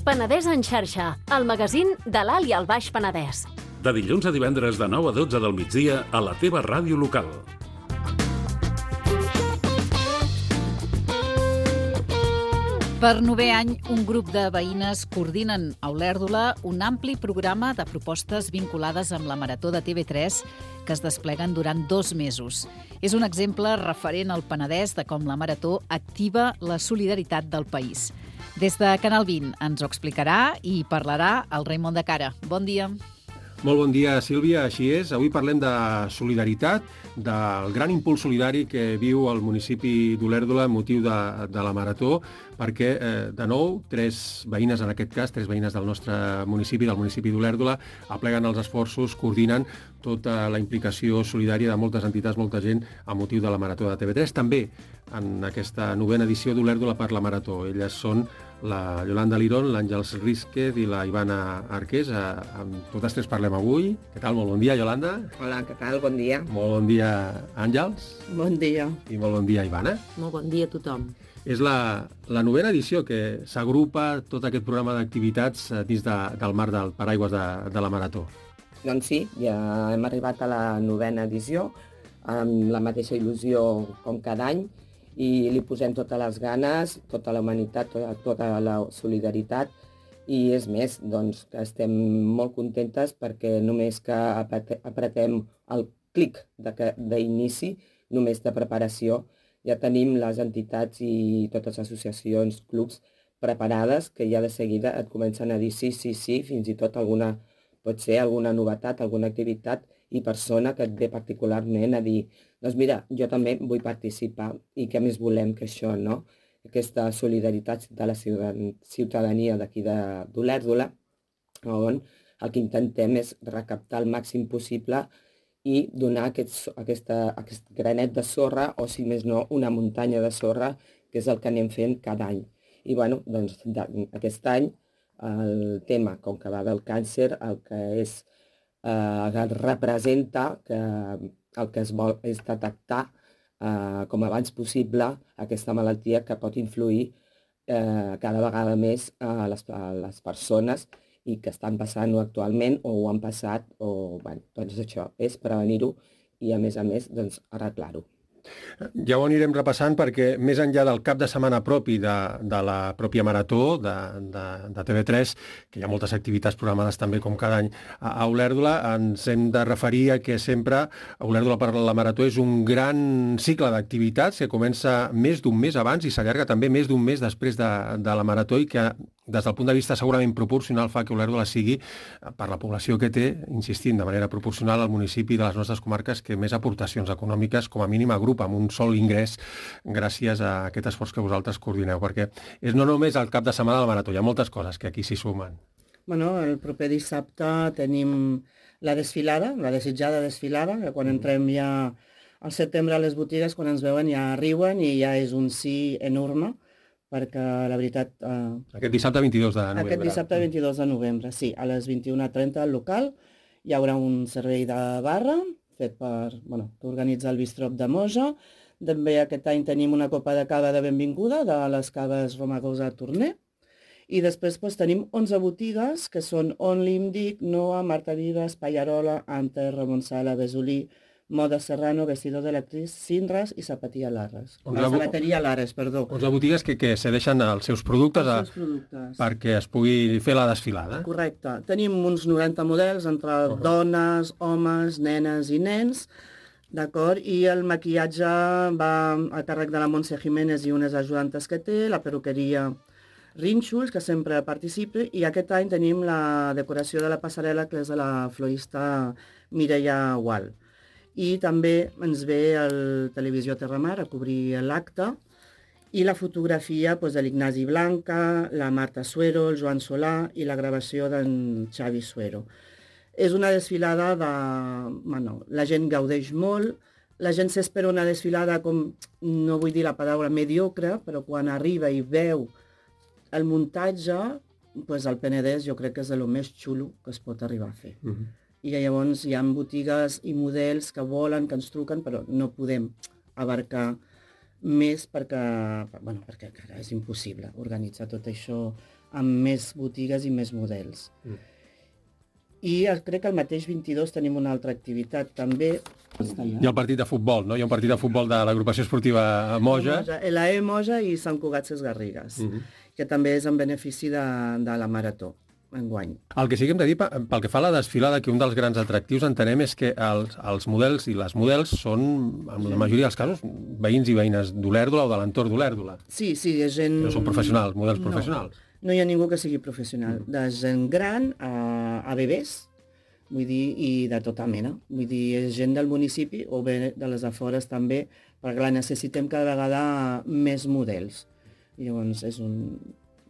Penedès en xarxa, el magazín de l'Alt i el Baix Penedès. De dilluns a divendres de 9 a 12 del migdia a la teva ràdio local. Per 9è any, un grup de veïnes coordinen a Olèrdola un ampli programa de propostes vinculades amb la Marató de TV3 que es despleguen durant 2 mesos. És un exemple referent al Penedès de com la Marató activa la solidaritat del país. Des de Canal 20 ens ho explicarà i parlarà el Raimon de Cara. Bon dia. Molt bon dia, Sílvia. Així és. Avui parlem de solidaritat, del gran impuls solidari que viu el municipi d'Olèrdola amb motiu de la Marató, perquè, de nou, 3 veïnes, en aquest cas, 3 veïnes del nostre municipi, del municipi d'Olèrdola, apleguen els esforços, coordinen tota la implicació solidària de moltes entitats, molta gent, amb motiu de la Marató de TV3. També en aquesta 9a edició d'Olèrdola per la Marató. Elles són la Yolanda Lirón, l'Àngels Rísquez i la Ivana Arqués. Amb totes 3 parlem avui. Què tal? Molt bon dia, Yolanda. Hola, què tal? Bon dia. Molt bon dia, Àngels. Bon dia. I molt bon dia, Ivana. Molt bon dia a tothom. És la 9a edició que s'agrupa tot aquest programa d'activitats dins del marc del paraigües de la Marató. Doncs sí, ja hem arribat a la 9a edició, amb la mateixa il·lusió com cada any, i li posem totes les ganes, tota la humanitat, tota la solidaritat, i és més, doncs, que estem molt contentes perquè només que apretem el clic d'inici, només de preparació, ja tenim les entitats i totes les associacions, clubs preparades, que ja de seguida et comencen a dir sí, fins i tot pot ser alguna novetat, alguna activitat i persona que et ve particularment a dir doncs mira, jo també vull participar i què més volem que això, no? Aquesta solidaritat de la ciutadania d'aquí d'Olèrdola, on el que intentem és recaptar el màxim possible i donar aquest granet de sorra, o si més no, una muntanya de sorra, que és el que anem fent cada any. I bueno, doncs aquest any el tema, com que va del càncer, el que representa que el que es vol és detectar com abans possible aquesta malaltia que pot influir cada vegada més a les persones i que estan passant-ho actualment o ho han passat, doncs això és prevenir-ho i a més doncs, arreglar-ho. Ja ho anirem repassant perquè més enllà del cap de setmana propi de la pròpia Marató de TV3, que hi ha moltes activitats programades també com cada any a Olèrdola, ens hem de referir a que sempre Olèrdola per la Marató és un gran cicle d'activitats que comença més d'un mes abans i s'allarga també més d'un mes després de la Marató i que des del punt de vista segurament proporcional fa que Olèrdola sigui, per la població que té, insistint de manera proporcional, al municipi de les nostres comarques que més aportacions econòmiques com a mínim agrupa amb un sol ingrés gràcies a aquest esforç que vosaltres coordineu, perquè és no només el cap de setmana de la Marató, hi ha moltes coses que aquí s'hi sumen. Bueno, el proper dissabte tenim la desfilada, la desitjada desfilada, que quan entrem ja al setembre a les botigues, quan ens veuen ja riuen i ja és un sí enorme, perquè la veritat... Aquest dissabte 22 de novembre. Aquest dissabte 22 de novembre, sí. A les 21:30 al local hi haurà un servei de barra fet que organitza el Bistrop de Moja. També aquest any tenim una copa de cava de benvinguda de les caves Romagosa Torner. I després tenim 11 botigues que són Only, Imdic, Noa, Marta Vives, Pallarola, Anter, Ramon Sala, Besolí, Moda Serrano, Vestido de l'actriz, Sinras i Zapateria Lares. Zapateria Lares, perdó. 11 botigues que cedeixen els seus productes perquè es pugui fer la desfilada. Correcte. Tenim uns 90 models entre dones, homes, nenes i nens, d'acord? I el maquillatge va a càrrec de la Montse Jiménez i unes ajudantes que té, la perruqueria Rínxols, que sempre participa, i aquest any tenim la decoració de la passarel·la, que és de la florista Mireia Gual. I també ens ve el Televisió Terramar a cobrir l'acte i la fotografia de l'Ignasi Blanca, la Marta Suero, el Joan Solà i la gravació d'en Xavi Suero. És una desfilada la gent gaudeix molt, la gent s'espera una desfilada com, no vull dir la paraula mediocre, però quan arriba i veu el muntatge, el Penedès jo crec que és el més xulo que es pot arribar a fer. I llavors hi ha botigues i models que volen, que ens truquen, però no podem abarcar més perquè encara és impossible organitzar tot això amb més botigues i més models. I crec que el mateix 22 tenim una altra activitat també. Hi ha el partit de futbol, no? Hi ha un partit de futbol de l'agrupació esportiva Moja. L'AE Moja i Sant Cugat Ses Garrigues, que també és en benefici de la marató enguany. El que sí que hem de dir, pel que fa a la desfilada, que un dels grans atractius entenem és que els models i les models són, en la majoria dels casos, veïns i veïnes d'Olèrdola o de l'entorn d'Olèrdola. Sí, és gent... No són professionals, models professionals. No hi ha ningú que sigui professional. De gent gran a bebès, vull dir, i de tota mena. Vull dir, és gent del municipi o bé de les afores també, perquè necessitem cada vegada més models. I llavors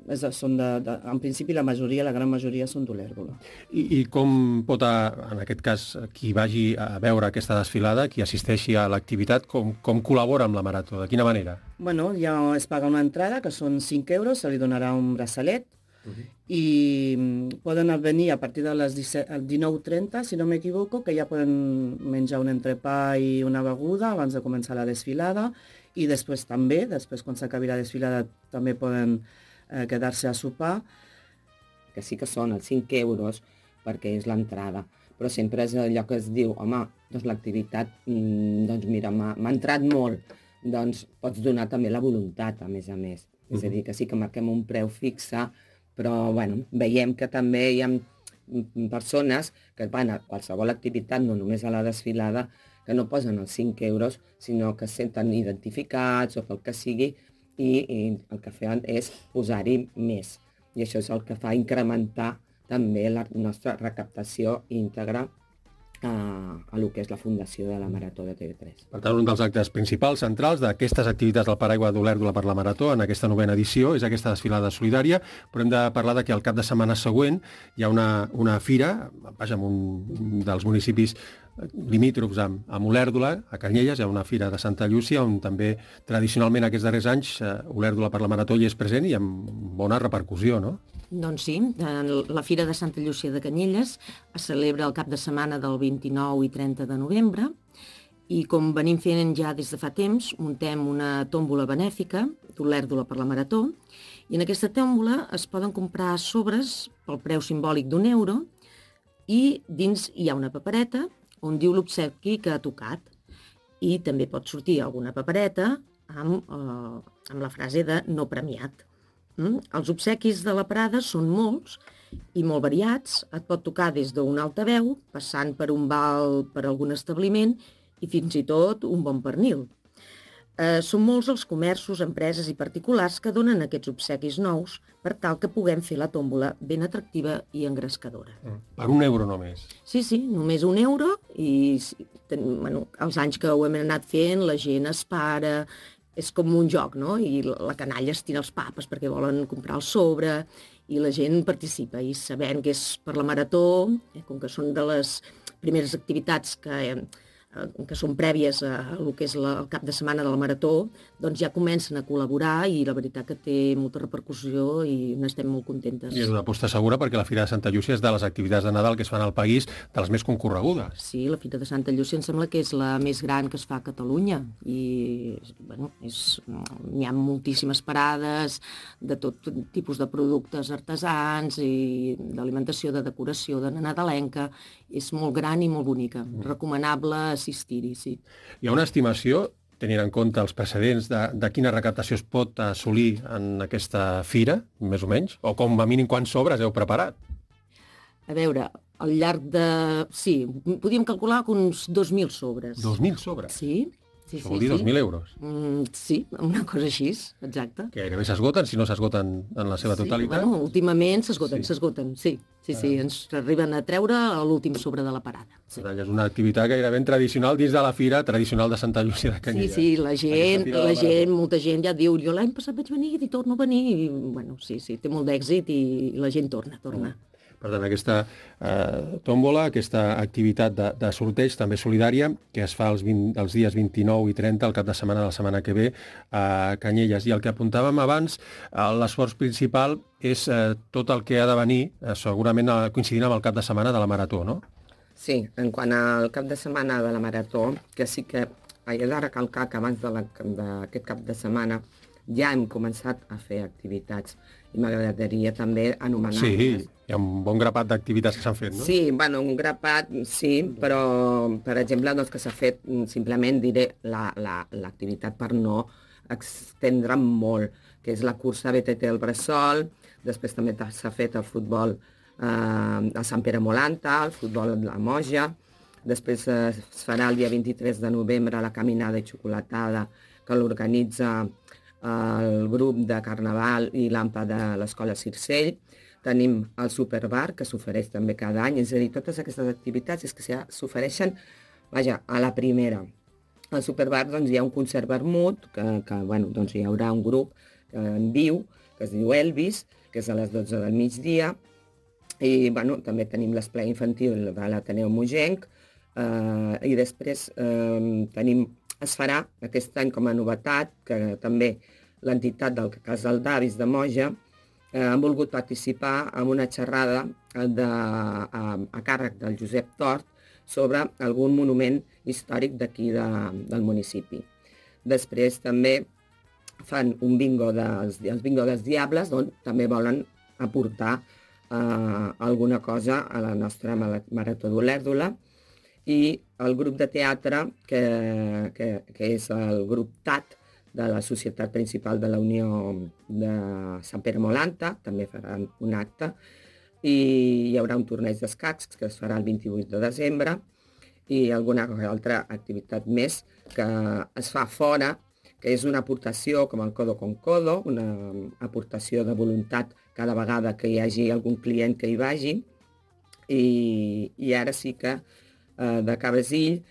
en principi la gran majoria són d'Olèrdola. I com pot, en aquest cas, qui vagi a veure aquesta desfilada, qui assisteixi a l'activitat, com col·labora amb la marató? De quina manera? Bueno, ja es paga una entrada, que són 5 euros, se li donarà un braçalet, i poden venir a partir de les 19:30, si no m'equivoco, que ja poden menjar un entrepà i una beguda abans de començar la desfilada, i després també, quan s'acabi la desfilada, també poden quedar-se a sopar. Que sí que són els 5 euros perquè és l'entrada, però sempre és allò que es diu, home, doncs l'activitat, doncs mira, m'ha entrat molt, doncs pots donar també la voluntat, a més. És a dir, que sí que marquem un preu fixe, però bueno, veiem que també hi ha persones que van a qualsevol activitat, no només a la desfilada, que no posen els 5 euros, sinó que es senten identificats o pel que sigui, i el que fan és posar-hi més. I això és el que fa incrementar també la nostra recaptació íntegra a lo que és la fundació de la Marató de TV3. Per tant, un dels actes principals, centrals d'aquestes activitats del Paraigua d'Olèrdola per la Marató en aquesta 9ª edició és aquesta desfilada solidària, però hem de parlar que al cap de setmana següent hi ha una fira, vaja, en un dels municipis limítrofs amb Olèrdola, a Canyelles, hi ha una fira de Santa Llúcia on també tradicionalment aquests darrers anys Olèrdola per la Marató hi és present i amb bona repercussió, no? Doncs sí, la Fira de Santa Llúcia de Canyelles es celebra el cap de setmana del 29 i 30 de novembre i com venim fent ja des de fa temps, muntem una tòmbola benèfica d'Olèrdola per la Marató i en aquesta tòmbola es poden comprar sobres pel preu simbòlic d'€1 i dins hi ha una papereta on diu l'obsequi que ha tocat i també pot sortir alguna papereta amb la frase de no premiat. Els obsequis de la parada són molts i molt variats. Et pot tocar des d'un altaveu, passant per un val per algun establiment i fins i tot un bon pernil. Són molts els comerços, empreses i particulars que donen aquests obsequis nous per tal que puguem fer la tòmbola ben atractiva i engrescadora. Per €1 només? Sí, només €1 i els anys que ho hem anat fent la gent es para, és com un joc, no? I la canalla es tira els papes perquè volen comprar el sobre i la gent participa i sabent que és per la Marató, com que són de les primeres activitats que són prèvies a el que és el cap de setmana de la Marató, doncs ja comencen a col·laborar i la veritat que té molta repercussió i n'estem molt contentes. I és una aposta segura perquè la Fira de Santa Llúcia és de les activitats de Nadal que es fan al país de les més concorregudes. Sí, la Fira de Santa Llúcia em sembla que és la més gran que es fa a Catalunya i bueno, hi ha moltíssimes parades de tot tipus de productes artesans i d'alimentació, de decoració, de nadalenca. És molt gran i molt bonica. Recomanable assistir-hi, sí. Hi ha una estimació, tenint en compte els precedents, de quina recaptació es pot assolir en aquesta fira, més o menys? O com a mínim quants sobres heu preparat? A veure, al llarg de... Sí, podíem calcular que uns 2.000 sobres. 2.000 sobres? Sí. Això vol dir 2.000 euros? Sí, una cosa així, exacte. Que gairebé s'esgoten, si no s'esgoten en la seva totalitat? Sí, bueno, últimament s'esgoten, sí. Sí, ens arriben a treure l'últim sobre de la parada. Sí. És una activitat gairebé tradicional dins de la fira tradicional de Santa Llúcia de Canyelles. Sí, la gent, molta gent ja diu, jo l'any passat vaig venir i torno a venir. I, bueno, sí, té molt d'èxit i la gent torna. Per tant, aquesta tòmbola, aquesta activitat de sorteig també solidària, que es fa els dies 29 i 30, el cap de setmana de la setmana que ve, a Canyelles. I el que apuntàvem abans, l'esforç principal és tot el que ha de venir, segurament coincidint amb el cap de setmana de la Marató, no? Sí, en quant al cap de setmana de la Marató, que sí que he de recalcar que abans d'aquest cap de setmana ja hem començat a fer activitats i m'agradaria també anomenar... Sí, hi ha un bon grapat d'activitats que s'han fet, no? Sí, bueno, un grapat, sí, però, per exemple, doncs, que s'ha fet, simplement diré l'activitat per no extendre molt, que és la cursa BTT al Bressol, després també s'ha fet el futbol a Sant Pere Molanta, el futbol a la Moja, després es farà el dia 23 de novembre la caminada i xocolatada que l'organitza el grup de Carnaval i l'AMPA de l'Escola Circell. Tenim el Superbar, que s'ofereix també cada any, és a dir, totes aquestes activitats és que s'ofereixen, vaja, a la primera. Al Superbar doncs, hi ha un concert vermut, que bueno, doncs, hi haurà un grup en viu, que es diu Elvis, que és a les 12 del migdia, i bueno, també tenim l'esplai infantil de l'Ateneu Mogenc, i després es farà aquest any com a novetat, que també l'entitat del Casal d'Avis de Moja han volgut participar en una xerrada a càrrec del Josep Tort sobre algun monument històric d'aquí del municipi. Després també fan un bingo els bingo dels Diables, on també volen aportar alguna cosa a la nostra Marató d'Olèrdola, i el grup de teatre, que és el grup TAT de la Societat Principal de la Unió de Sant Pere Molanta, també faran un acte, i hi haurà un torneig d'escacs que es farà el 28 de desembre, i alguna altra activitat més que es fa fora, que és una aportació com el Codo con Codo, una aportació de voluntat cada vegada que hi hagi algun client que hi vagi, i ara sí que de Cabasill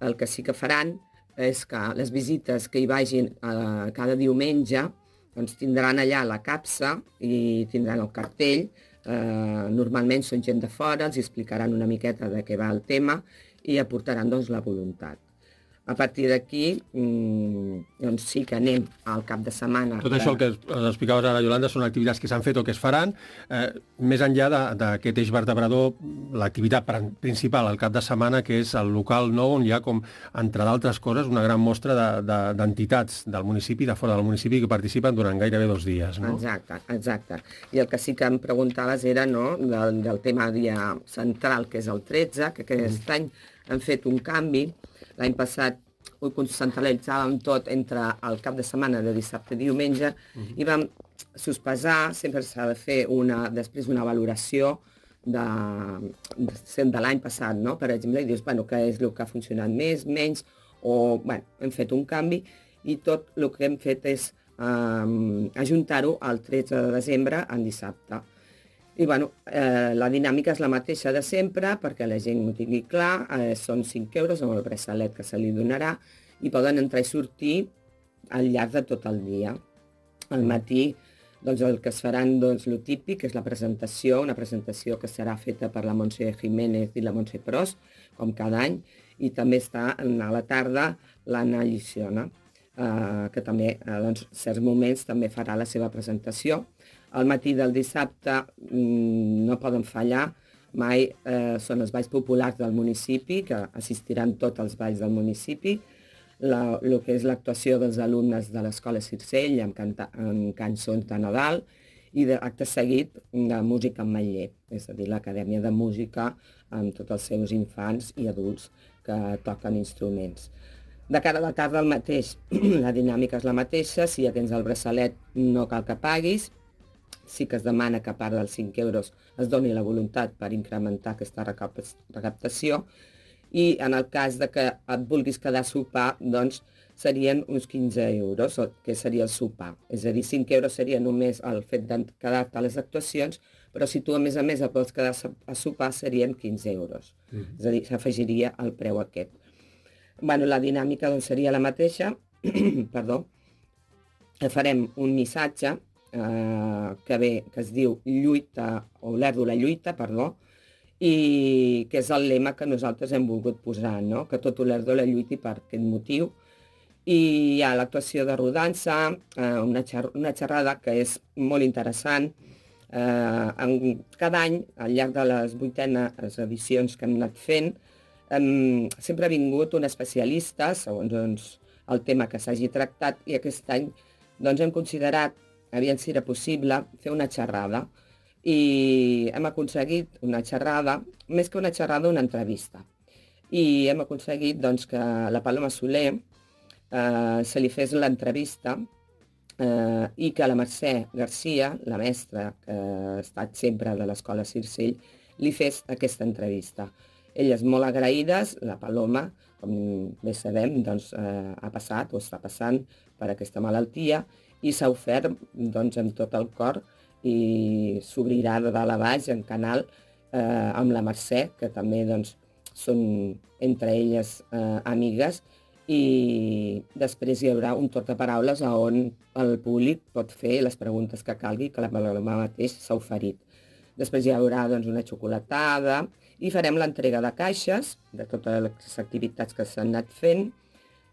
el que sí que faran és que les visites que hi vagin cada diumenge doncs tindran allà la capsa i tindran el cartell. Normalment són gent de fora, els explicaran una miqueta de què va el tema i aportaran doncs, la voluntat. A partir d'aquí, doncs sí que anem al cap de setmana. Tot això el que explicaves ara, Iolanda, són activitats que s'han fet o que es faran. Més enllà d'aquest eix vertebrador, l'activitat principal al cap de setmana, que és el local nou, on hi ha, com, entre d'altres coses, una gran mostra d'entitats del municipi, de fora del municipi, que participen durant gairebé 2 dies. No? Exacte. I el que sí que em preguntaves era del tema dia central, que és el 13, que aquest any han fet un canvi. L'any passat ho concentralitzàvem tot entre el cap de setmana de dissabte i diumenge i vam sospesar, sempre s'ha de fer després una valoració de l'any passat, no? Per exemple, i dius, bueno, què és el que ha funcionat més, menys, o, bueno, hem fet un canvi i tot el que hem fet és ajuntar-ho al 13 de desembre, en dissabte. I bueno, la dinàmica és la mateixa de sempre, perquè la gent ho tingui clar, són 5 euros amb el braçalet que se li donarà i poden entrar i sortir al llarg de tot el dia. Al matí, doncs el que es faran, doncs, lo típic, és la presentació, una presentació que serà feta per la Montse Jiménez i la Montse Pros, com cada any, i també està a la tarda l'Anna Lliciona, que també, en certs moments, també farà la seva presentació. Al matí del dissabte no poden fallar mai, són els balls populars del municipi, que assistiran tots els balls del municipi, el que és l'actuació dels alumnes de l'Escola Circell amb cançons de Nadal i d'acte seguit de música en Matller, és a dir, l'Acadèmia de Música amb tots els seus infants i adults que toquen instruments. De cara a la tarda el mateix, la dinàmica és la mateixa, si ja tens el braçalet no cal que paguis, sí que es demana que a part dels 5 euros es doni la voluntat per incrementar aquesta recaptació i en el cas de que et vulguis quedar a sopar, doncs serien uns 15 euros, que seria el sopar. És a dir, 5 euros seria només el fet de quedar-te a les actuacions, però si tu a més et vols quedar a sopar serien 15 euros. És a dir, s'afegiria el preu aquest. Bueno, la dinàmica doncs, seria la mateixa, perdó, farem un missatge que es diu Olèrdola lluita, i que és el lema que nosaltres hem volgut posar, no? Que tot Olèrdola lluiti per aquest motiu. I hi ha l'actuació de rodança, una xerrada que és molt interessant. Cada any, al llarg de les 8enes edicions que hem anat fent, sempre ha vingut un especialista, segons el tema que s'hagi tractat, i aquest any hem considerat, aviam si era possible, fer una xerrada. I hem aconseguit una xerrada, més que una xerrada, una entrevista. I hem aconseguit que la Paloma Soler se li fes l'entrevista i que la Mercè Garcia, la mestra que ha estat sempre de l'Escola Circell, li fes aquesta entrevista. Elles molt agraïdes, la Paloma, com bé sabem, ha passat o està passant per aquesta malaltia i s'ha ofert amb tot el cor i s'obrirà de dalt a baix en canal amb la Mercè, que també són entre elles amigues, i després hi haurà un torn de paraules on el públic pot fer les preguntes que calgui, que la Paloma mateix s'ha oferit. Després hi haurà una xocolatada i farem l'entrega de caixes de totes les activitats que s'han anat fent,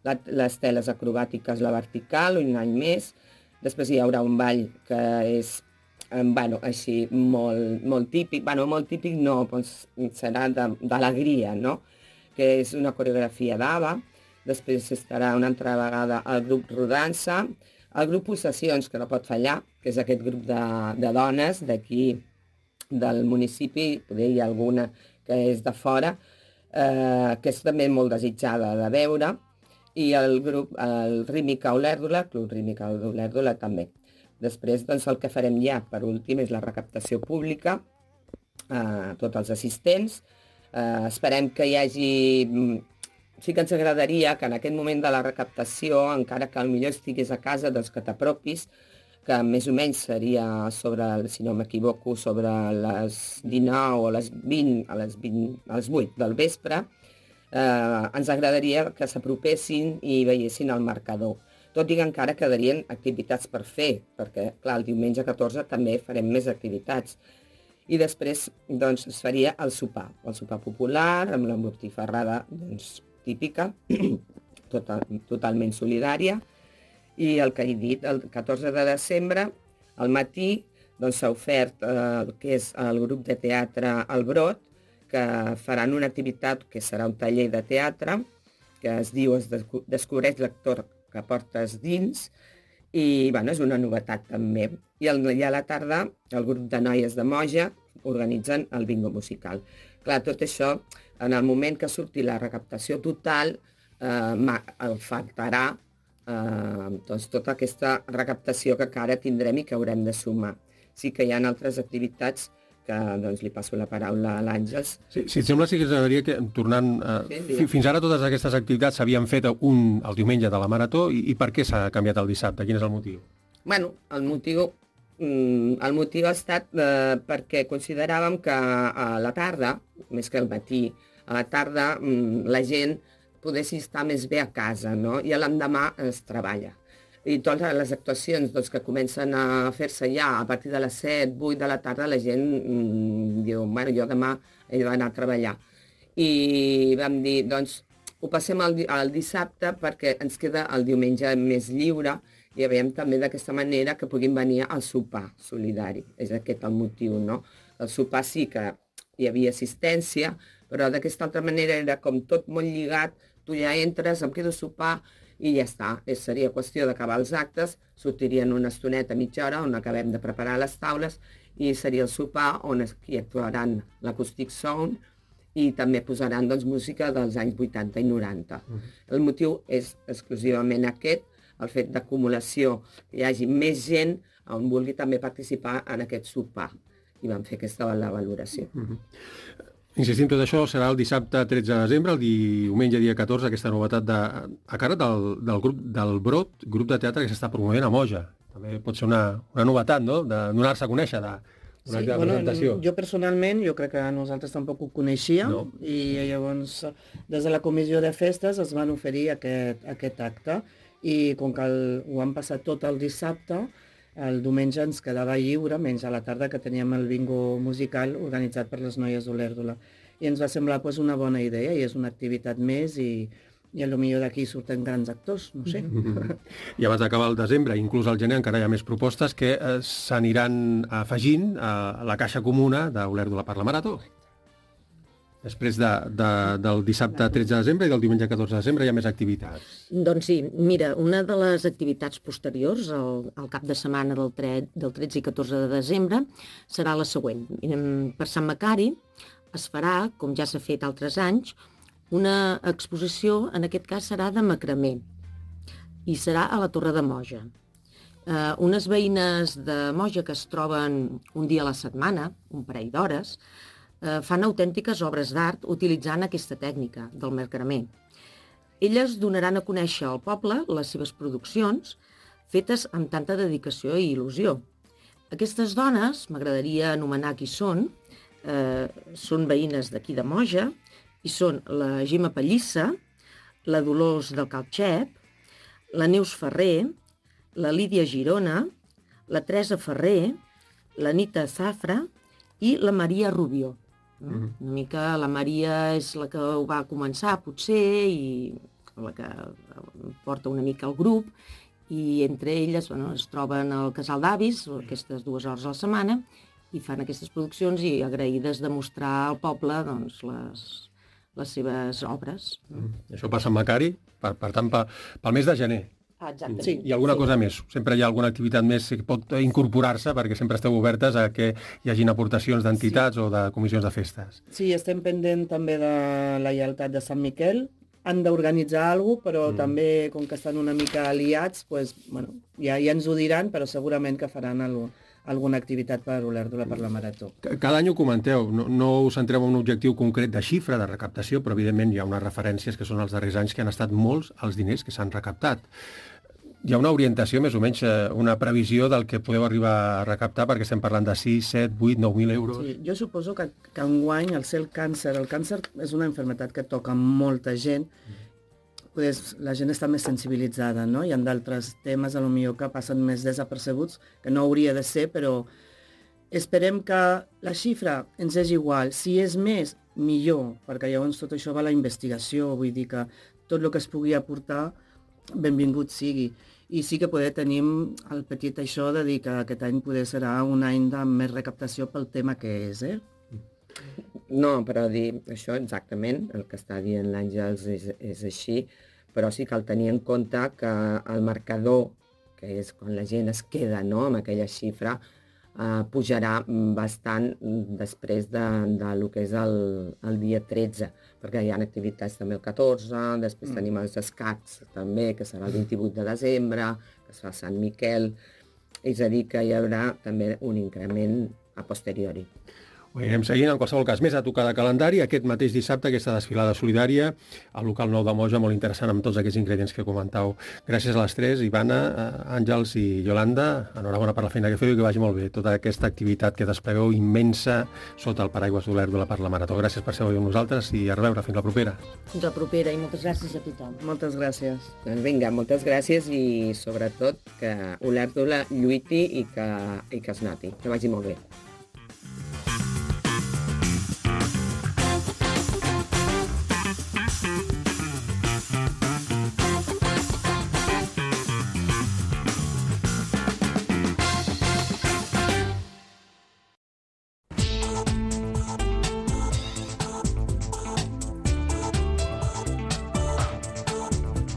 les teles acrobàtiques, la vertical, un any més. Després hi haurà un ball que és així molt típic, molt típic no, serà d'alegria, no? Que és una coreografia d'ABBA. Després estarà una altra vegada el grup Rodança, el grup Possessions, que no pot fallar, que és aquest grup de dones d'aquí, del municipi, poder hi ha alguna que és de fora, que és també molt desitjada de veure, i el grup, el Rítmica Olèrdola, Club Rítmica Olèrdola també. Després, el que farem ja, per últim, és la recaptació pública, tots els assistents. Esperem que hi hagi... Sí que ens agradaria que en aquest moment de la recaptació, encara que potser estigués a casa, que t'apropis, que més o menys seria sobre, si no m'equivoco, sobre les 19 o les 20, a les 8 del vespre, ens agradaria que s'apropessin i veiessin el marcador. Tot i que encara quedarien activitats per fer, perquè, clar, el diumenge 14 també farem més activitats. I després, es faria el sopar popular, amb la botifarrada, típica, totalment solidària, i el que he dit, el 14 de desembre, al matí, s'ha ofert el que és el grup de teatre El Brot, que faran una activitat que serà un taller de teatre, que es diu Descobreix l'actor que portes dins, i és una novetat també. I a la tarda, el grup de noies de Moja organitzen el bingo musical. Clar, tot això, en el moment que surti la recaptació total, faltarà tota aquesta recaptació que encara tindrem i que haurem de sumar. Sí que hi ha altres activitats que li passo la paraula a l'Àngels. Sí, si et sembla, sí que ens agradaria que, tornant... Fins ara totes aquestes activitats s'havien fet el diumenge de la Marató, i per què s'ha canviat el dissabte? Quin és el motiu? Bueno, el motiu ha estat perquè consideràvem que a la tarda, més que al matí, a la tarda la gent pogués estar més bé a casa, no? I l'endemà es treballa. I totes les actuacions que comencen a fer-se ja a partir de les 7, 8 de la tarda, la gent diu, bueno, jo demà he d'anar a treballar. I vam dir, ho passem al dissabte perquè ens queda el diumenge més lliure, i veiem també d'aquesta manera que puguin venir al sopar solidari. És aquest el motiu, no? El sopar sí que hi havia assistència, però d'aquesta altra manera era com tot molt lligat, tu ja entres, em quedo a sopar i ja està. Seria qüestió d'acabar els actes, sortirien una estoneta, mitja hora, on acabem de preparar les taules, i seria el sopar on aquí actuaran l'Acoustic Sound i també posaran música dels anys 80 i 90. El motiu és exclusivament aquest, el fet d'acumulació, que hi hagi més gent on vulgui també participar en aquest sopar. I vam fer aquesta la valoració. Insistim, tot això serà el dissabte 13 de desembre, el diumenge dia 14, aquesta novetat a càrrec del grup del Brot, grup de teatre que s'està promovent a Moja. També pot ser una novetat, no?, de donar-se a conèixer, d'una presentació. Jo personalment, jo crec que nosaltres tampoc ho coneixíem, i llavors des de la comissió de festes es van oferir aquest acte, i com que ho han passat tot el dissabte, el diumenge ens quedava lliure, menys a la tarda, que teníem el bingo musical organitzat per les noies d'Olèrdola. I ens va semblar una bona idea, i és una activitat més, i potser d'aquí surten grans actors, no sé. I abans d'acabar el desembre, inclús al gener, encara hi ha més propostes que s'aniran afegint a la caixa comuna d'Olèrdola per la Marató. Després del dissabte 13 de desembre i del diumenge 14 de desembre hi ha més activitats. Doncs sí, mira, una de les activitats posteriors al cap de setmana del 13 i 14 de desembre serà la següent. Per Sant Macari es farà, com ja s'ha fet altres anys, una exposició, en aquest cas serà de macramé, i serà a la Torre de Moja. Unes veïnes de Moja que es troben un dia a la setmana, un parell d'hores, fan autèntiques obres d'art utilitzant aquesta tècnica del macramé. Elles donaran a conèixer al poble les seves produccions fetes amb tanta dedicació i il·lusió. Aquestes dones, m'agradaria anomenar qui són veïnes d'aquí de Moja, i són la Gemma Pallissa, la Dolors del Calxep, la Neus Ferrer, la Lídia Girona, la Teresa Ferrer, la Nita Zafra i la Maria Rubió. Una mica la Maria és la que ho va començar, potser, i la que porta una mica el grup, i entre elles es troben al Casal d'Avis, aquestes 2 hores a la setmana, i fan aquestes produccions i agraïdes de mostrar al poble les seves obres. Això passa a Macari, per tant, pel mes de gener. Exactament. Sí. I alguna cosa més? Sempre hi ha alguna activitat més que pot incorporar-se perquè sempre esteu obertes a que hi hagin aportacions d'entitats o de comissions de festes. Sí, estem pendent també de la lleialtat de Sant Miquel. Han d'organitzar alguna cosa, però també, com que estan una mica aliats, ja ens ho diran, però segurament que faran alguna activitat per Olèrdola per la Marató. Cada any ho comenteu, no us centreu en un objectiu concret de xifra, de recaptació, però evidentment hi ha unes referències que són els darrers anys que han estat molts els diners que s'han recaptat. Hi ha una orientació, més o menys, una previsió del que podeu arribar a recaptar, perquè estem parlant de 6, 7, 8, 9.000 euros. Sí, jo suposo que enguany el càncer és una malaltia que toca molta gent, la gent està més sensibilitzada, no? Hi ha d'altres temes, potser que passen més desapercebuts, que no hauria de ser, però esperem que la xifra ens és igual. Si és més, millor, perquè llavors tot això va a la investigació, vull dir que tot el que es pugui aportar, benvingut sigui. I sí que tenim el petit això de dir que aquest any serà un any de més recaptació pel tema que és, No, però dir això exactament, el que està dient l'Àngels és així, però sí cal tenir en compte que el marcador, que és quan la gent es queda amb aquella xifra, pujarà bastant després del que és el dia 13, perquè hi ha activitats també el 14, després tenim els escacs també, que serà el 28 de desembre, que es fa Sant Miquel, és a dir, que hi haurà també un increment a posteriori. Ho anirem seguint, en qualsevol cas, més a tocar de calendari, aquest mateix dissabte, aquesta desfilada solidària, al local 9 de Moja, molt interessant amb tots aquests ingredients que comentau. Gràcies a les tres, Ivana, Àngels i Iolanda, enhorabona per la feina que feu i que vagi molt bé tota aquesta activitat que desplegueu immensa sota el paraigües d'Olèrdola per la Marató. Gràcies per ser avui amb nosaltres i a reveure, fins la propera. Fins la propera i moltes gràcies a tothom. Moltes gràcies. Doncs vinga, moltes gràcies i sobretot que Olèrdola lluiti i que es noti. Que vagi molt bé.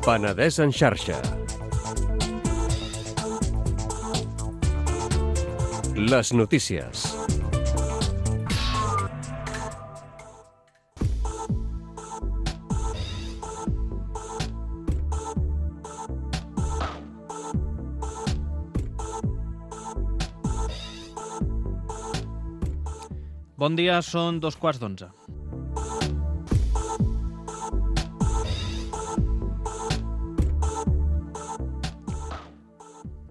Penedès en xarxa. Les notícies. Bon dia, són 2:15.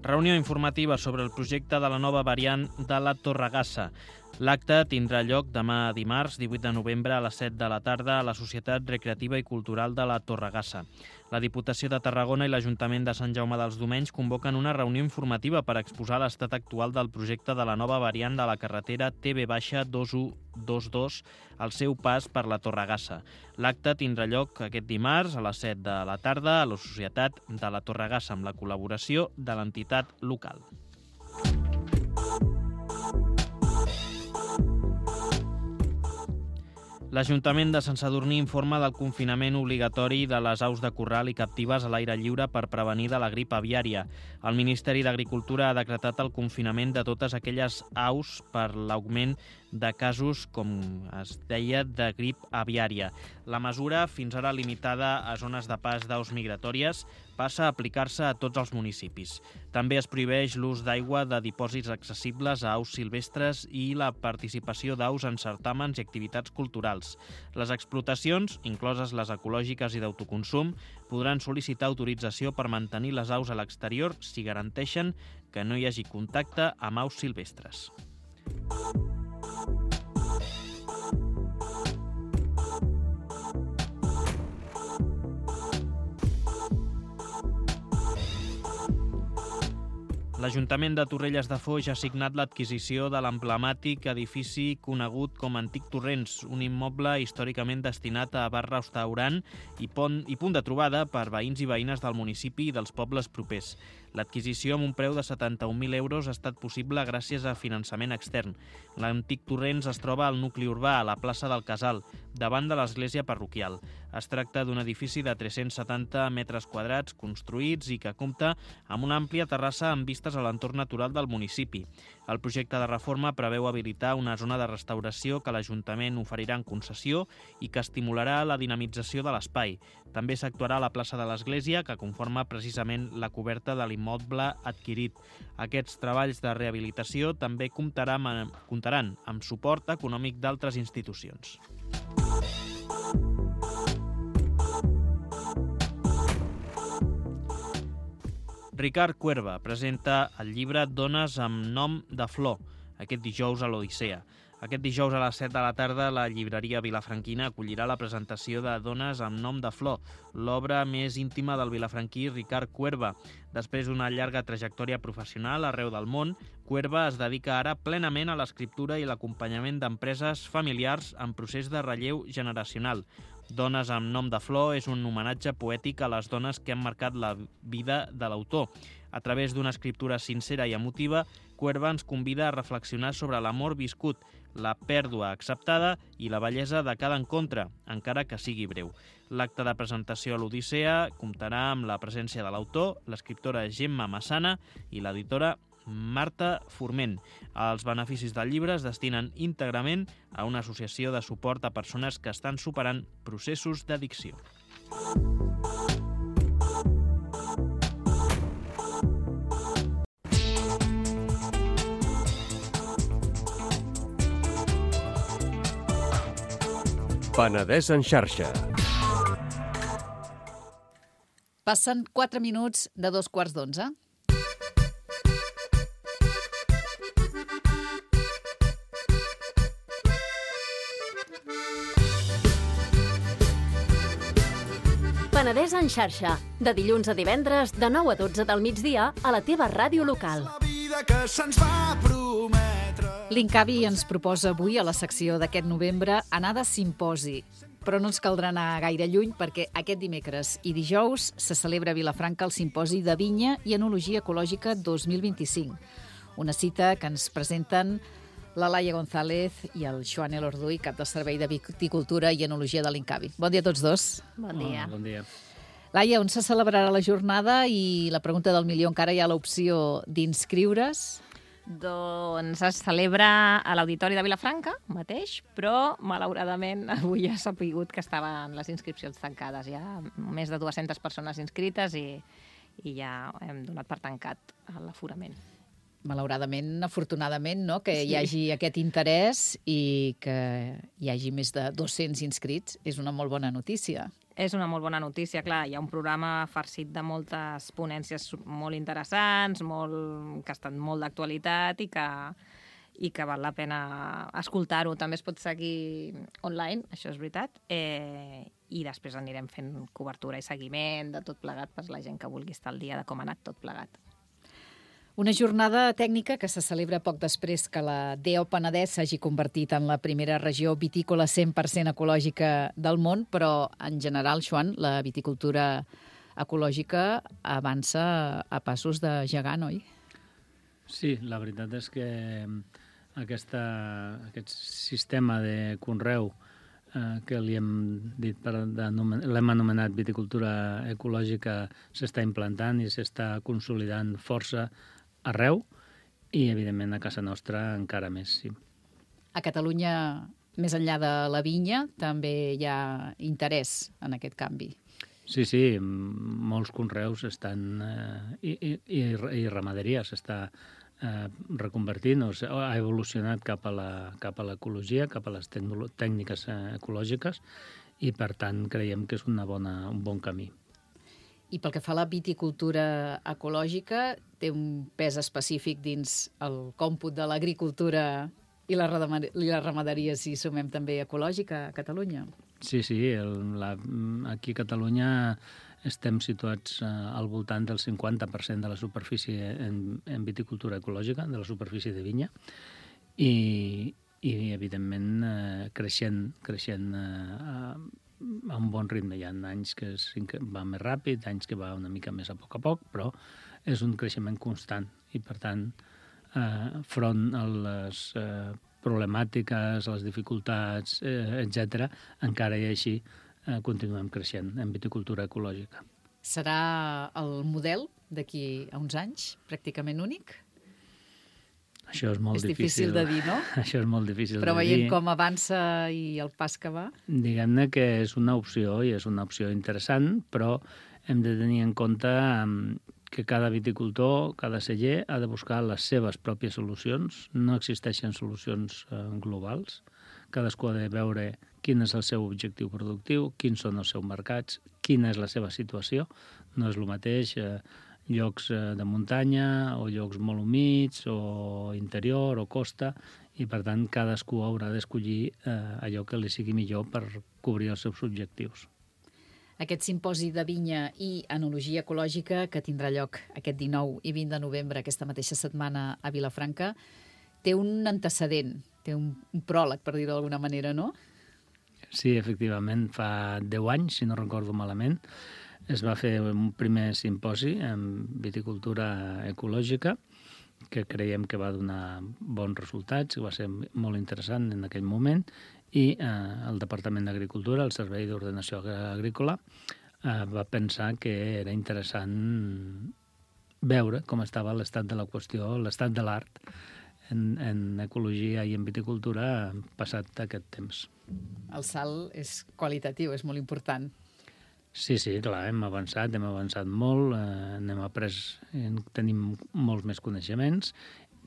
Reunió informativa sobre el projecte de la nova variant de la Torregassa. L'acte tindrà lloc demà dimarts, 18 de novembre, a les 7 de la tarda a la Societat Recreativa i Cultural de la Torregassa. La Diputació de Tarragona i l'Ajuntament de Sant Jaume dels Domenys convoquen una reunió informativa per exposar l'estat actual del projecte de la nova variant de la carretera TB-2122 al seu pas per la Torregassa. L'acte tindrà lloc aquest dimarts a les 7 de la tarda a la Societat de la Torregassa amb la col·laboració de l'entitat local. L'Ajuntament de Sant Sadurní informa del confinament obligatori de les aus de corral i captives a l'aire lliure per prevenir de la grip aviària. El Ministeri d'Agricultura ha decretat el confinament de totes aquelles aus per l'augment de casos, com es deia, de grip aviària. La mesura, fins ara limitada a zones de pas d'aus migratòries, passa a aplicar-se a tots els municipis. També es prohibeix l'ús d'aigua de dipòsits accessibles a aus silvestres i la participació d'aus en certàmens i activitats culturals. Les explotacions, incloses les ecològiques i d'autoconsum, podran sol·licitar autorització per mantenir les aus a l'exterior si garanteixen que no hi hagi contacte amb aus silvestres. L'Ajuntament de Torrelles de Foix ha signat l'adquisició de l'emblemàtic edifici conegut com Antic Torrents, un immoble històricament destinat a bar-restaurant i punt de trobada per veïns i veïnes del municipi i dels pobles propers. L'adquisició amb un preu de 71.000 euros ha estat possible gràcies a finançament extern. L'Antic Torrents es troba al nucli urbà, a la plaça del Casal, davant de l'església parroquial. Es tracta d'un edifici de 370 metres quadrats construïts i que compta amb una àmplia terrassa amb vistes a l'entorn natural del municipi. El projecte de reforma preveu habilitar una zona de restauració que l'Ajuntament oferirà en concessió i que estimularà la dinamització de l'espai. També s'actuarà a la plaça de l'Església, que conforma precisament la coberta de l'immoble adquirit. Aquests treballs de rehabilitació també comptaran amb suport econòmic d'altres institucions. Ricard Cuerva presenta el llibre Dones amb nom de flor, aquest dijous a l'Odissea. Aquest dijous a les 7 de la tarda la llibreria Vilafranquina acollirà la presentació de Dones amb nom de flor, l'obra més íntima del vilafranquí Ricard Cuerva. Després d'una llarga trajectòria professional arreu del món, Cuerva es dedica ara plenament a l'escriptura i l'acompanyament d'empreses familiars en procés de relleu generacional. Dones amb nom de flor és un homenatge poètic a les dones que han marcat la vida de l'autor. A través d'una escriptura sincera i emotiva, Cuerva ens convida a reflexionar sobre l'amor viscut, la pèrdua acceptada i la bellesa de cada encontre, encara que sigui breu. L'acte de presentació a l'Odissea comptarà amb la presència de l'autor, l'escriptora Gemma Massana i l'editora Marta Forment. Els beneficis del llibre es destinen íntegrament a una associació de suport a persones que estan superant processos d'addicció. Penedès en xarxa. Passen 4 minuts de 2:15. Penedès en xarxa, de dilluns a divendres, de 9 a 12 del migdia, a la teva ràdio local. L'Incavi ens proposa avui, a la secció d'aquest novembre, anar de simposi. Però no ens caldrà anar gaire lluny perquè aquest dimecres i dijous se celebra a Vilafranca el Simposi de Vinya i Enologia Ecològica 2025. Una cita que ens presenten la Laia González i el Joan Elorduy, cap del Servei de Viticultura i Enologia de l'Incavi. Bon dia a tots dos. Bon dia. Bon dia. Laia, on se celebrarà la jornada? I la pregunta del milió, encara hi ha l'opció d'inscriure's? Doncs es celebra a l'Auditori de Vilafranca mateix, però malauradament avui ja s'ha sapigut que estaven les inscripcions tancades. Hi ha més de 200 persones inscrites i ja hem donat per tancat l'aforament. Malauradament, afortunadament, no? Que hi hagi aquest interès i que hi hagi més de 200 inscrits és una molt bona notícia. És una molt bona notícia, clar. Hi ha un programa farcit de moltes ponències molt interessants, que estan molt d'actualitat i que val la pena escoltar-ho. També es pot seguir online, això és veritat, i després anirem fent cobertura i seguiment de tot plegat per la gent que vulgui estar al dia de com ha anat tot plegat. Una jornada tècnica que se celebra poc després que la DO Penedès s'hagi convertit en la primera regió vitícola 100% ecològica del món, però en general, Joan, la viticultura ecològica avança a passos de gegant, oi? Sí, la veritat és que aquest sistema de conreu que l'hem anomenat viticultura ecològica, s'està implantant i s'està consolidant força arreu i, evidentment, a casa nostra encara més, sí. A Catalunya, més enllà de la vinya, també hi ha interès en aquest canvi. Sí, molts conreus estan i ramaderia s'està reconvertint, ha evolucionat cap a l'ecologia, cap a les tècniques ecològiques i, per tant, creiem que és un bon camí. I pel que fa a la viticultura ecològica, té un pes específic dins el còmput de l'agricultura i la ramaderia, si sumem també ecològica a Catalunya. Sí, aquí a Catalunya estem situats al voltant del 50% de la superfície en viticultura ecològica, de la superfície de vinya, i evidentment, creixent a un bon ritme. Hi ha anys que va més ràpid, anys que va una mica més a poc, però és un creixement constant i, per tant, front a les problemàtiques, a les dificultats, etc., encara i així continuem creixent en viticultura ecològica. Serà el model d'aquí a uns anys pràcticament únic? Això és molt difícil. És difícil de dir, no? Això és molt difícil de dir. Però veient com avança i el pas que va... Diguem-ne que és una opció i és una opció interessant, però hem de tenir en compte que cada viticultor, cada celler, ha de buscar les seves pròpies solucions. No existeixen solucions globals. Cadascú ha de veure quin és el seu objectiu productiu, quins són els seus mercats, quina és la seva situació. No és el mateix llocs de muntanya o llocs molt humits o interior o costa, i per tant cadascú haurà d'escollir allò que li sigui millor per cobrir els seus objectius. Aquest simposi de vinya i enologia ecològica que tindrà lloc aquest 19 i 20 de novembre, aquesta mateixa setmana a Vilafranca, té un antecedent, té un pròleg, per dir-ho d'alguna manera, no? Sí, efectivament, fa 10 anys, si no recordo malament, es va fer un primer simposi en viticultura ecològica que creiem que va donar bons resultats, que va ser molt interessant en aquell moment, i el Departament d'Agricultura, el Servei d'Ordenació Agrícola, va pensar que era interessant veure com estava l'estat de la qüestió, l'estat de l'art en ecologia i en viticultura passat aquest temps. El salt és qualitatiu, és molt important. Sí, clar, hem avançat molt, tenim molts més coneixements,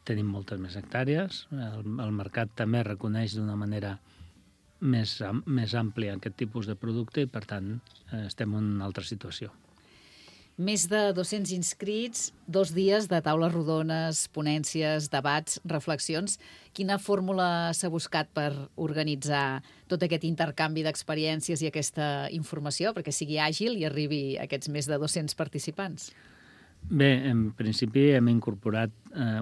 tenim moltes més hectàrees, el mercat també reconeix d'una manera més àmplia aquest tipus de producte i, per tant, estem en una altra situació. Més de 200 inscrits, 2 dies de taules rodones, ponències, debats, reflexions. Quina fórmula s'ha buscat per organitzar tot aquest intercanvi d'experiències i aquesta informació perquè sigui àgil i arribi a aquests més de 200 participants? Bé, en principi hem incorporat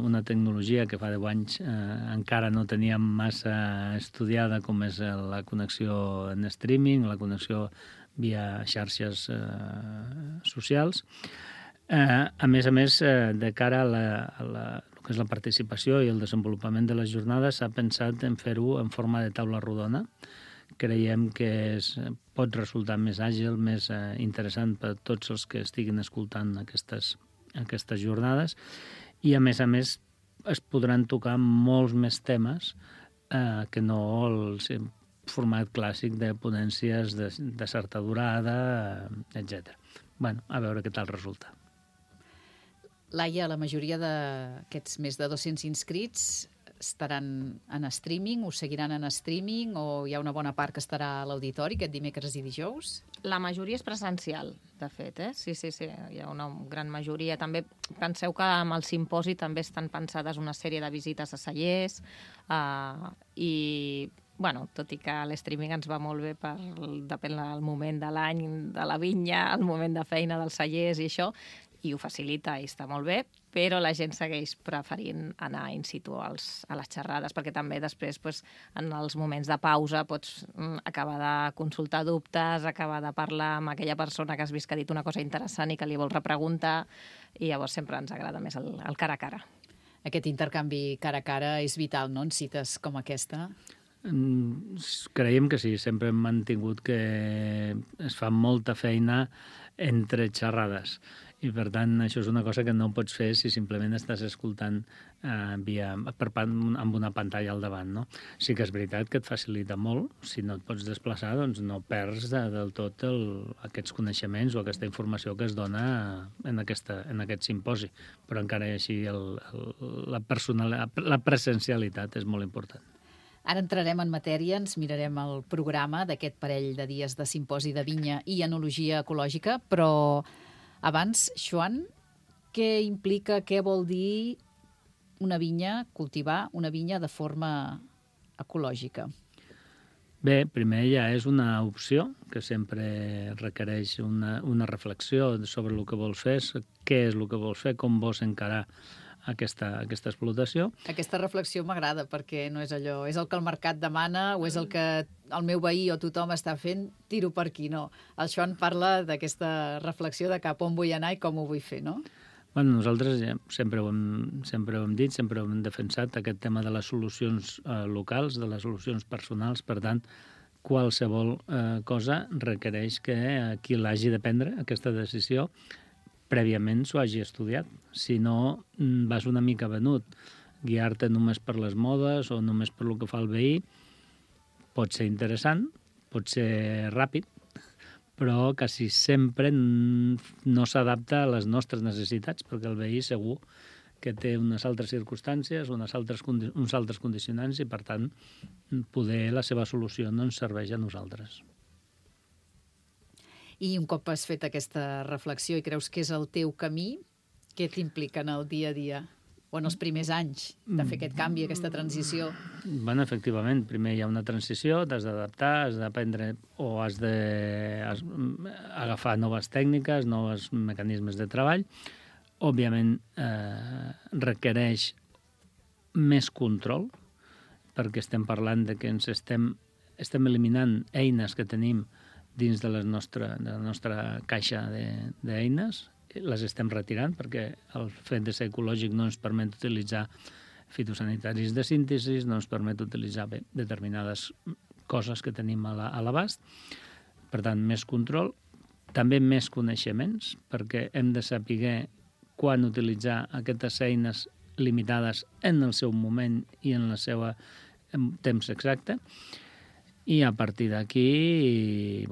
una tecnologia que fa 10 anys encara no teníem massa estudiada, com és la connexió en streaming, la connexió via xarxes socials. A més, de cara a el que és la participació i el desenvolupament de les jornades, s'ha pensat en fer-ho en forma de taula rodona. Creiem que pot resultar més àgil, més interessant per a tots els que estiguin escoltant aquestes jornades, i a més es podran tocar molts més temes que no el format clàssic de ponències de certa durada, etc. A veure què tal resulta. Laia, la majoria d'aquests més de 200 inscrits estaran en streaming, ho seguiran en streaming, o hi ha una bona part que estarà a l'auditori aquest dimecres i dijous? La majoria és presencial, de fet, Sí, hi ha una gran majoria. També penseu que amb el simposi també estan pensades una sèrie de visites a cellers i, tot i que l'streaming ens va molt bé depèn del moment de l'any, de la vinya, el moment de feina dels cellers i això, i ho facilita i està molt bé, però la gent segueix preferint anar in situ a les xerrades, perquè també després, en els moments de pausa, pots acabar de consultar dubtes, acabar de parlar amb aquella persona que has vist que ha dit una cosa interessant i que li vols repreguntar, i llavors sempre ens agrada més el cara a cara. Aquest intercanvi cara a cara és vital, no?, en cites com aquesta? Creiem que sí, sempre hem mantingut que es fa molta feina entre xerrades. I, per tant, això és una cosa que no pots fer si simplement estàs escoltant amb una pantalla al davant, no? Sí que és veritat que et facilita molt. Si no et pots desplaçar, doncs no perds del tot aquests coneixements o aquesta informació que es dona en aquest simposi. Però encara així la presencialitat és molt important. Ara entrarem en matèria, ens mirarem el programa d'aquest parell de dies de simposi de vinya i enologia ecològica, però abans, Joan, què implica, què vol dir una vinya, cultivar una vinya de forma ecològica? Bé, primer ja és una opció que sempre requereix una reflexió sobre el que vols fer, què és el que vols fer, com vols encarar aquesta explotació. Aquesta reflexió m'agrada perquè no és allò, és el que el mercat demana o és el que el meu veí o tothom està fent, tiro per aquí, no. El Joan parla d'aquesta reflexió de cap on vull anar i com ho vull fer, no? Bueno, nosaltres sempre ho hem dit, sempre ho hem defensat, aquest tema de les solucions locals, de les solucions personals. Per tant, qualsevol cosa requereix que qui l'hagi de prendre, aquesta decisió, prèviament s'ho hagi estudiat. Si no, vas una mica venut. Guiar-te només per les modes o només per el que fa el veí pot ser interessant, pot ser ràpid, però quasi sempre no s'adapta a les nostres necessitats, perquè el veí segur que té unes altres circumstàncies, uns altres condicionants i, per tant, poder la seva solució no ens serveix a nosaltres. I un cop has fet aquesta reflexió i creus que és el teu camí, què t'implica en el dia a dia? O en els primers anys de fer aquest canvi, aquesta transició? Bueno, efectivament, primer hi ha una transició, t'has d'adaptar, has d'aprendre o has d'agafar noves tècniques, nous mecanismes de treball. Òbviament, requereix més control, perquè estem parlant de que estem eliminant eines que tenim dins de la nostra caixa d'eines, les estem retirant perquè el fet de ser ecològic no ens permet utilitzar fitosanitaris de síntesi, no ens permet utilitzar determinades coses que tenim a l'abast. Per tant, més control, també més coneixements, perquè hem de saber quan utilitzar aquestes eines limitades en el seu moment i en el seu temps exacte. I a partir d'aquí,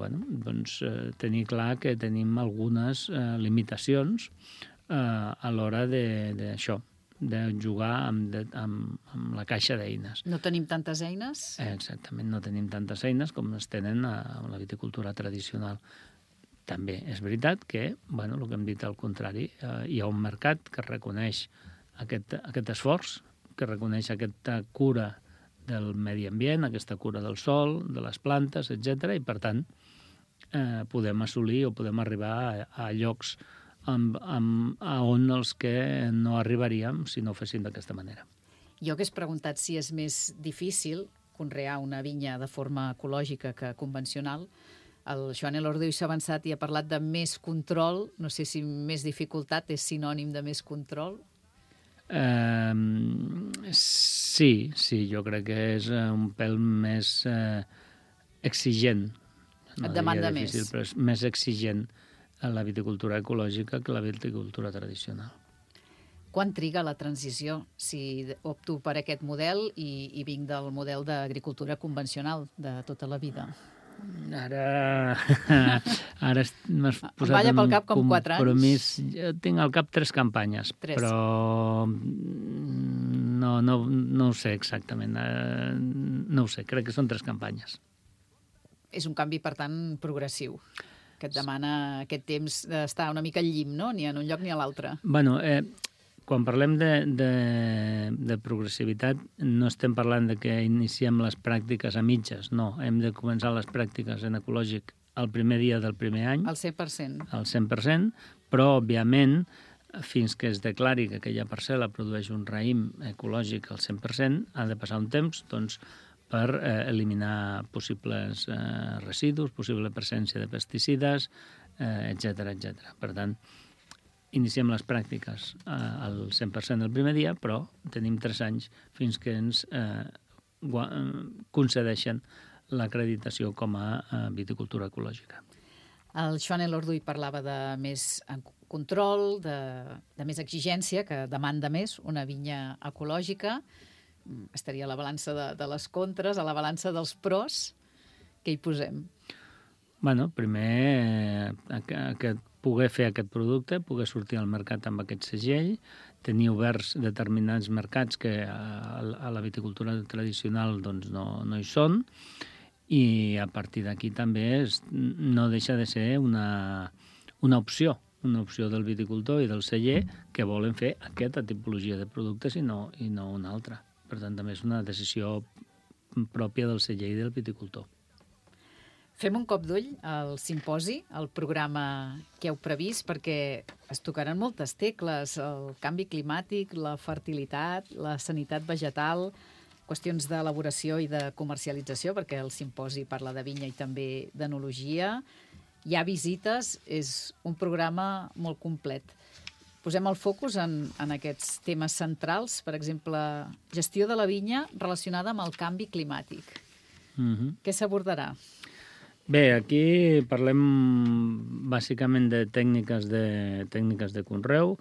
tenir clar que tenim algunes limitacions a l'hora d'això, de jugar amb la caixa d'eines. No tenim tantes eines? Exactament, no tenim tantes eines com es tenen a la viticultura tradicional. També és veritat que, el que hem dit al contrari, hi ha un mercat que reconeix aquest esforç, que reconeix aquesta cura del medi ambient, aquesta cura del sol, de les plantes, etc. I, per tant, podem assolir o podem arribar a llocs on els que no arribaríem si no ho féssim d'aquesta manera. Jo hagués preguntat si és més difícil conrear una vinya de forma ecològica que convencional. El Joan Elordiu s'ha avançat i ha parlat de més control. No sé si més dificultat és sinònim de més control. Sí, jo crec que és un pèl més exigent. Et demanda més. Però és més exigent a la viticultura ecològica que la viticultura tradicional. Quan triga la transició? Si opto per aquest model i vinc del model d'agricultura convencional de tota la vida. Ara m'has posat en un compromís. Jo tinc al cap 3 campanyes, però no ho sé exactament. No ho sé, crec que són 3 campanyes. És un canvi, per tant, progressiu, que et demana aquest temps d'estar una mica al llim, no? Ni en un lloc ni a l'altre. Quan parlem de progressivitat, no estem parlant de que iniciem les pràctiques a mitges, no. Hem de començar les pràctiques en ecològic el primer dia del primer any. Al 100%. Al 100%, però, òbviament, fins que es declari que aquella parcel·la produeix un raïm ecològic al 100%, ha de passar un temps, per eliminar possibles residus, possible presència de pesticides, etc. Per tant, iniciem les pràctiques al 100% el primer dia, però tenim 3 anys fins que ens concedeixen l'acreditació com a viticultura ecològica. El Joan Elorduy parlava de més control, de més exigència, que demanda més una vinya ecològica. Estaria a la balança de les contres, a la balança dels pros. Què hi posem? Bueno, primer, poder fer aquest producte, poder sortir al mercat amb aquest segell, tenir oberts determinats mercats que a la viticultura tradicional doncs, no hi són, i a partir d'aquí també no deixa de ser una opció del viticultor i del celler que volen fer aquesta tipologia de productes i no una altra. Per tant, també és una decisió pròpia del celler i del viticultor. Fem un cop d'ull al simposi, al programa que heu previst, perquè es tocaran moltes tecles, el canvi climàtic, la fertilitat, la sanitat vegetal, qüestions d'elaboració i de comercialització, perquè el simposi parla de vinya i també d'enologia. Hi ha visites, és un programa molt complet. Posem el focus en aquests temes centrals, per exemple, gestió de la vinya relacionada amb el canvi climàtic. Què s'abordarà? Bé, aquí parlem bàsicament de tècniques de conreu.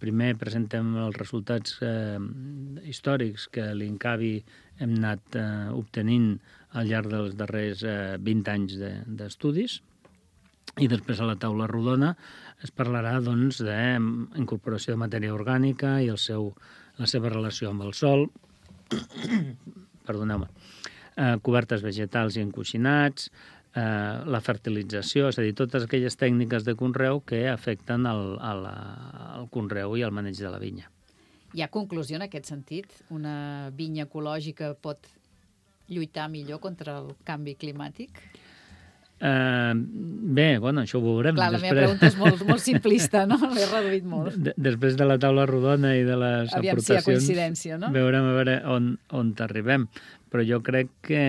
Primer presentem els resultats històrics que a l'INCAVI hem anat obtenint al llarg dels darrers 20 anys d'estudis. I després a la taula rodona es parlarà doncs, d'incorporació de matèria orgànica i la seva relació amb el sòl, perdoneu-me, cobertes vegetals i encoixinats, la fertilització, és a dir, totes aquelles tècniques de conreu que afecten al conreu i al maneig de la vinya. Hi ha conclusió en aquest sentit? Una vinya ecològica pot lluitar millor contra el canvi climàtic? Bé, bueno, això ho veurem. Clar, la meva pregunta és molt simplista, no? L'he reduït molt. Després de la taula rodona i de les aviam aportacions... si hi ha coincidència, no? Veurem a veure on arribem. Però jo crec que,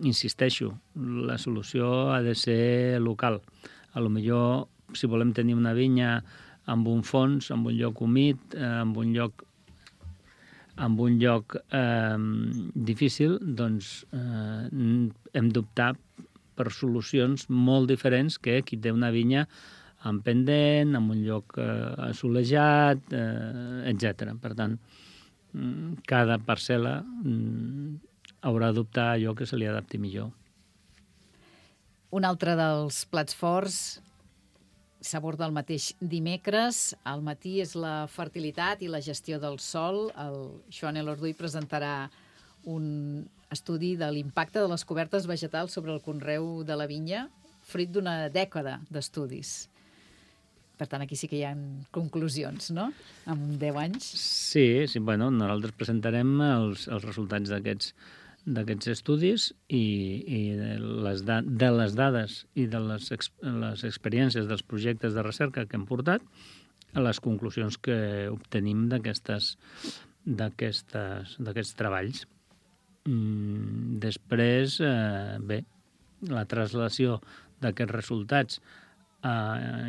insisteixo, la solució ha de ser local. A lo millor, si volem tenir una vinya amb un fons, amb un lloc humit, amb un lloc difícil, doncs hem d'optar per solucions molt diferents que qui té una vinya amb pendent, amb un lloc assolejat, etc. Per tant, cada parcel·la haurà d'optar allò que se li adapti millor. Un altre dels plats forts s'aborda el mateix dimecres. Al matí és la fertilitat i la gestió del sòl. El Joan Elorduy presentarà un estudi de l'impacte de les cobertes vegetals sobre el conreu de la vinya, fruit d'una dècada d'estudis. Per tant, aquí sí que hi ha conclusions, no? En 10 anys. Sí, bueno, nosaltres presentarem els resultats d'aquests estudis i de les dades i de les experiències dels projectes de recerca que hem portat a les conclusions que obtenim d'aquests treballs. Després, bé, la traslació d'aquests resultats,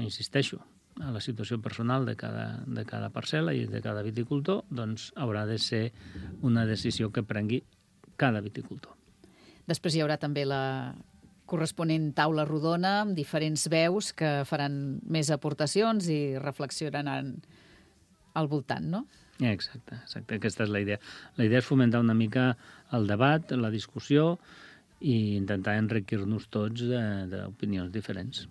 insisteixo, a la situació personal de cada parcel·la i de cada viticultor, doncs haurà de ser una decisió que prengui cada viticultor. Després hi haurà també la corresponent taula rodona amb diferents veus que faran més aportacions i reflexionaran al voltant, no? Exacte, aquesta és la idea. La idea és fomentar una mica el debat, la discussió i intentar enriquir-nos tots d'opinions diferents.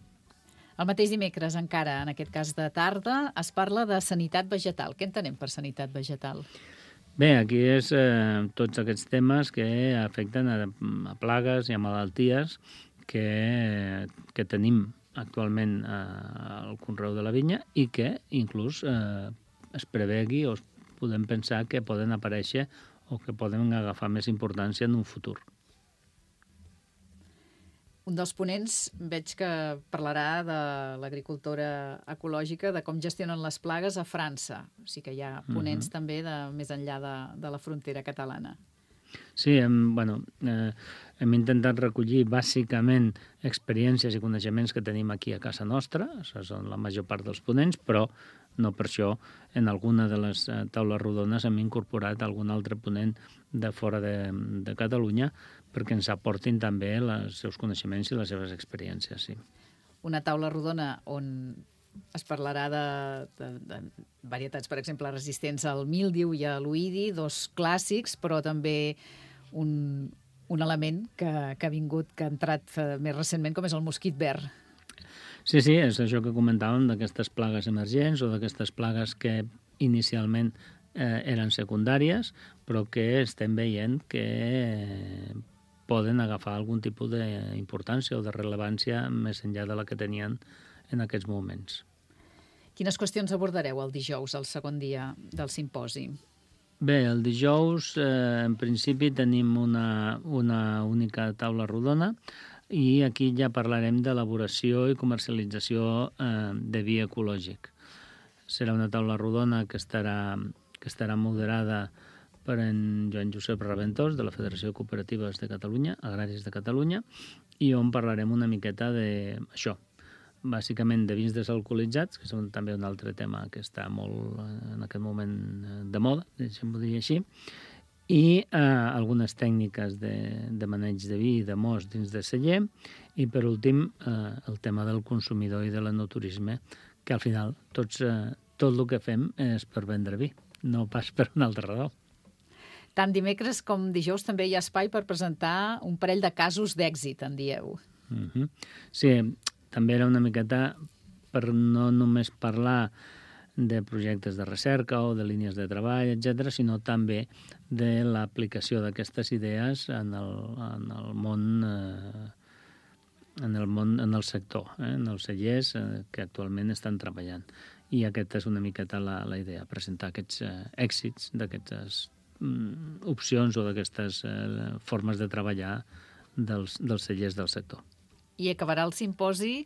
El mateix dimecres, encara, en aquest cas de tarda, es parla de sanitat vegetal. Què entenem per sanitat vegetal? Bé, aquí és tots aquests temes que afecten a plagues i a malalties que tenim actualment al conreu de la vinya i que inclús es prevegui o podem pensar que poden aparèixer o que poden agafar més importància en un futur. Un dels ponents veig que parlarà de l'agricultura ecològica, de com gestionen les plagues a França. O sigui que hi ha ponents també de més enllà de la frontera catalana. Sí, hem intentat recollir bàsicament experiències i coneixements que tenim aquí a casa nostra, això són la major part dels ponents, però no per això en alguna de les taules rodones hem incorporat algun altre ponent de fora de Catalunya perquè ens aportin també els seus coneixements i les seves experiències, sí. Una taula rodona on es parlarà de varietats, per exemple, resistents al míldiu i a l'oïdi, dos clàssics, però també un element que ha vingut, que ha entrat més recentment, com és el mosquit verd. Sí, és això que comentàvem d'aquestes plagues emergents o d'aquestes plagues que inicialment eren secundàries, però que estem veient que poden agafar algun tipus d'importància o de rellevància més enllà de la que tenien en aquests moments. Quines qüestions abordareu el dijous, el segon dia del simposi? Bé, el dijous, en principi, tenim una única taula rodona i aquí ja parlarem d'elaboració i comercialització de vi ecològic. Serà una taula rodona que estarà moderada per en Joan Josep Raventós, de la Federació de Cooperatives de Catalunya, Agràries de Catalunya, i on parlarem una miqueta d'això, bàsicament de vins desalcoholitzats, que és també un altre tema que està molt en aquest moment de moda, deixem-ho dir així, i algunes tècniques de maneig de vi i de most dins de celler, i per últim el tema del consumidor i de l'enoturisme, que al final tot el que fem és per vendre vi, no pas per una altra raó. Tant dimecres com dijous també hi ha espai per presentar un parell de casos d'èxit, en dieu. Sí, també era una miqueta per no només parlar de projectes de recerca o de línies de treball, etc., sinó també de l'aplicació d'aquestes idees en el món, en el sector, en els cellers que actualment estan treballant. I aquesta és una miqueta la idea, presentar aquests èxits d'aquestes opcions o d'aquestes formes de treballar dels cellers del sector. I acabarà el simposi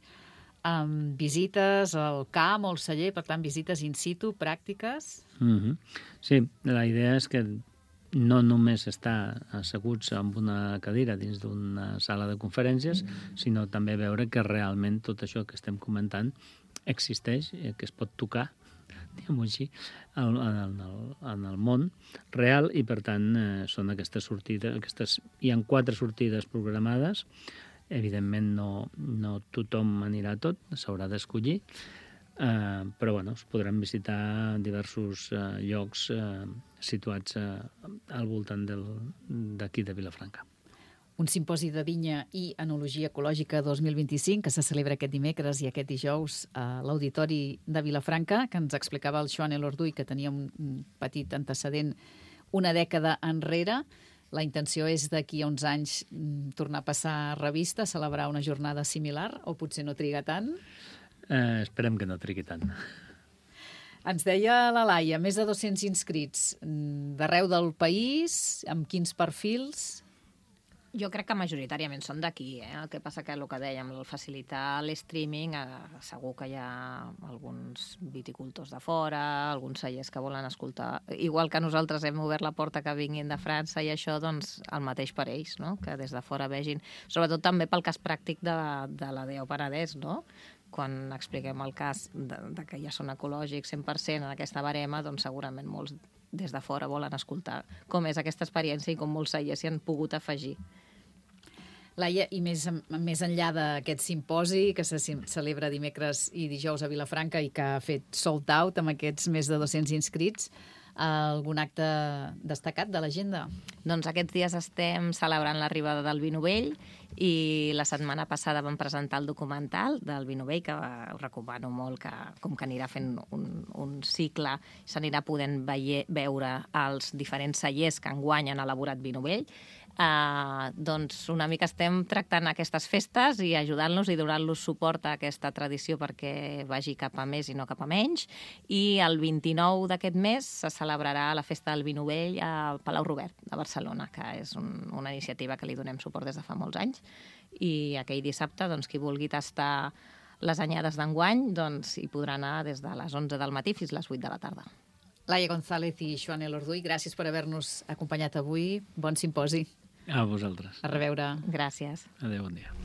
amb visites al camp o al celler, per tant, visites in situ, pràctiques? Sí, la idea és que no només estar asseguts amb una cadira dins d'una sala de conferències, sinó també veure que realment tot això que estem comentant existeix, que es pot tocar, diguem-ho així, en el món real, i per tant són aquestes sortides, hi ha 4 sortides programades. Evidentment no tothom anirà a tot, s'haurà d'escollir, però es podran visitar diversos llocs situats al voltant d'aquí de Vilafranca. Un simposi de vinya i enologia ecològica 2025 que se celebra aquest dimecres i aquest dijous a l'Auditori de Vilafranca, que ens explicava el Joan Elorduy, que tenia un petit antecedent una dècada enrere. La intenció és d'aquí a uns anys tornar a passar revista, celebrar una jornada similar, o potser no triga tant? Esperem que no trigui tant. Ens deia la Laia, més de 200 inscrits d'arreu del país, amb quins perfils? Jo crec que majoritàriament són d'aquí, El que passa que el que dèiem, el facilitar l'streaming, segur que hi ha alguns viticultors de fora, alguns cellers que volen escoltar. Igual que nosaltres hem obert la porta que vinguin de França i això, doncs el mateix per ells, no? Que des de fora vegin. Sobretot també pel cas pràctic de la DEO Penedès, no? Quan expliquem el cas de que ja són ecològics 100% en aquesta barema, doncs segurament molts des de fora volen escoltar com és aquesta experiència i com molts cellers s'hi han pogut afegir. Laia, i més enllà d'aquest simposi que se celebra dimecres i dijous a Vilafranca i que ha fet sold out amb aquests més de 200 inscrits, algun acte destacat de l'agenda? Doncs aquests dies estem celebrant l'arribada del vi novell i la setmana passada vam presentar el documental del vi novell, que us recomano molt, com que anirà fent un cicle, s'anirà podent veure els diferents cellers que enguany han elaborat vi novell. Doncs una mica estem tractant aquestes festes i ajudant-los i donant-los suport a aquesta tradició perquè vagi cap a més i no cap a menys. I el 29 d'aquest mes se celebrarà la festa del vi novell al Palau Robert, a Barcelona, que és una iniciativa que li donem suport des de fa molts anys. I aquell dissabte, doncs, qui vulgui tastar les anyades d'enguany, doncs hi podrà anar des de les 11 del matí fins a les 8 de la tarda. Laia González i Joan Elorduy, gràcies per haver-nos acompanyat avui. Bon simposi. A vosaltres. A reveure. Gràcies. Adéu, bon dia.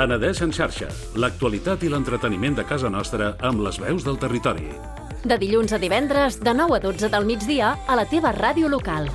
Penedès en xarxa, l'actualitat i l'entreteniment de casa nostra amb les veus del territori. De dilluns a divendres, de 9 a 12 del migdia, a la teva ràdio local.